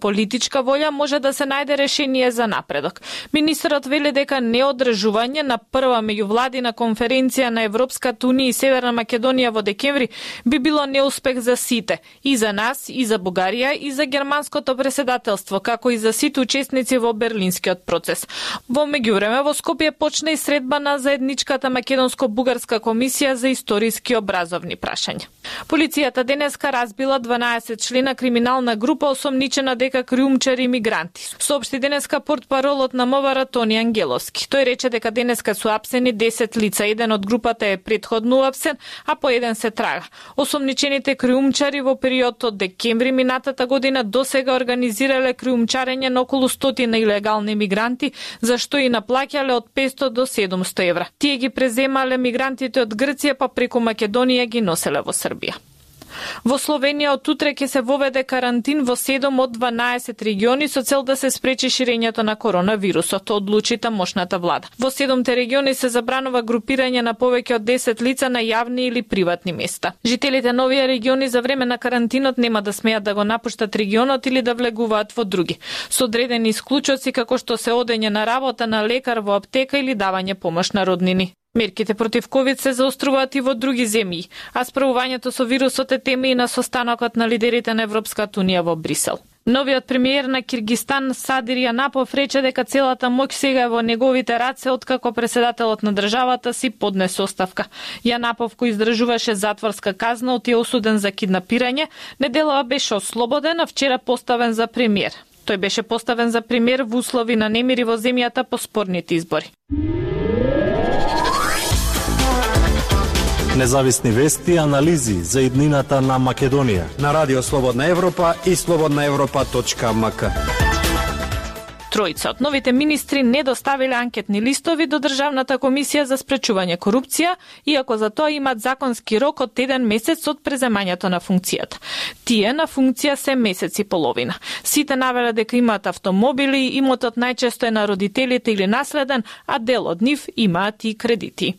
политичка волја може да се најде решение за напредок. Министерот вели дека неодржување на прва меѓувладина конференција на Европската унија и Северна Македонија во декември би било неуспех за сите, и за нас, и за Бугарија, и за германското преседателство, како и за сите учесници во Берлинскиот процес. Во меѓувреме во Скопје почна и средба на заедничката македонско-бугарска комисија за историски образовни прашања. Полицијата денеска разбила 12 члена криминална група осомничена дека криумчари и мигранти. Соопшти денеска портпаролот на МВР Тони Ангеловски. Тој рече дека денеска су апсени 10 лица, еден од групата е претходно апсен, а по еден се трага. Осомничените криумчари во период од декември минатата година досега организирале криумчарење на околу 100 илегални мигранти, зашто и наплаќале од 500 до 700 евра. Тие ги преземале мигрантите од Грција, па преку Македонија ги носеле во Србија. Во Словенија од утре ќе се воведе карантин во 7 од 12 региони со цел да се спречи ширењето на коронавирусот, одлучи тамошната влада. Во 7 региони се забранува групирање на повеќе од 10 лица на јавни или приватни места. Жителите на овие региони за време на карантинот нема да смеат да го напуштат регионот или да влегуваат во други, со одредени исклучоци како што се одење на работа на лекар во аптека или давање помош на роднини. Мерките против ковид се заоструваат и во други земји, а справувањето со вирусот е тема и на состанокот на лидерите на Европската унија во Брисел. Новиот премиер на Киргистан Садир Јанапов рече дека целата моќ сега е во неговите раце откако преседателот на државата си поднесе оставка. Јанапов, кој издржуваше затворска казна, оти е осуден за киднапирање, неделава беше ослободен, а вчера поставен за премиер. Тој беше поставен за премиер во услови на немири во земјата по спорните избори. Независни вести и анализи за иднината на Македонија на Радио Слободна Европа и slobodnaevropa.mk. Тројца од новите министри не доставиле анкетни листови до Државната комисија за спречување корупција, иако за тоа имаат законски рок од 1 месец од преземањето на функцијата. Тие на функција се месец и половина. Сите навеле дека имаат автомобили, имотот најчесто е на родителите или наследен, а дел од нив имаат и кредити.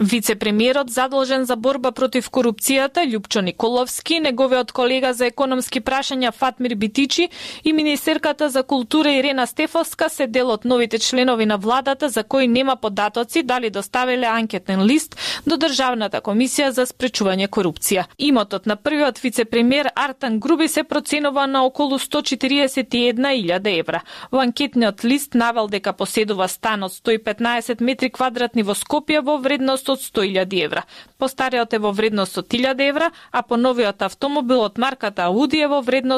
Вице-премиерот задолжен за борба против корупцијата Љупчо Николовски, неговиот колега за економски прашања Фатмир Битичи и министерката за култура Ирена Стефовска се дел од новите членови на владата за кои нема податоци дали доставиле анкетен лист до Државната комисија за спречување корупција. Имотот на првиот вице-премиер Артан Груби се проценува на околу 141.000 евра. Во анкетниот лист навел дека поседува стан од 115 метри квадратни во Скопје во вредност од 100.000 евра. Постариот е во вредност од 1.000 евра, а по новиот автомобил од марката Ауди е во вредност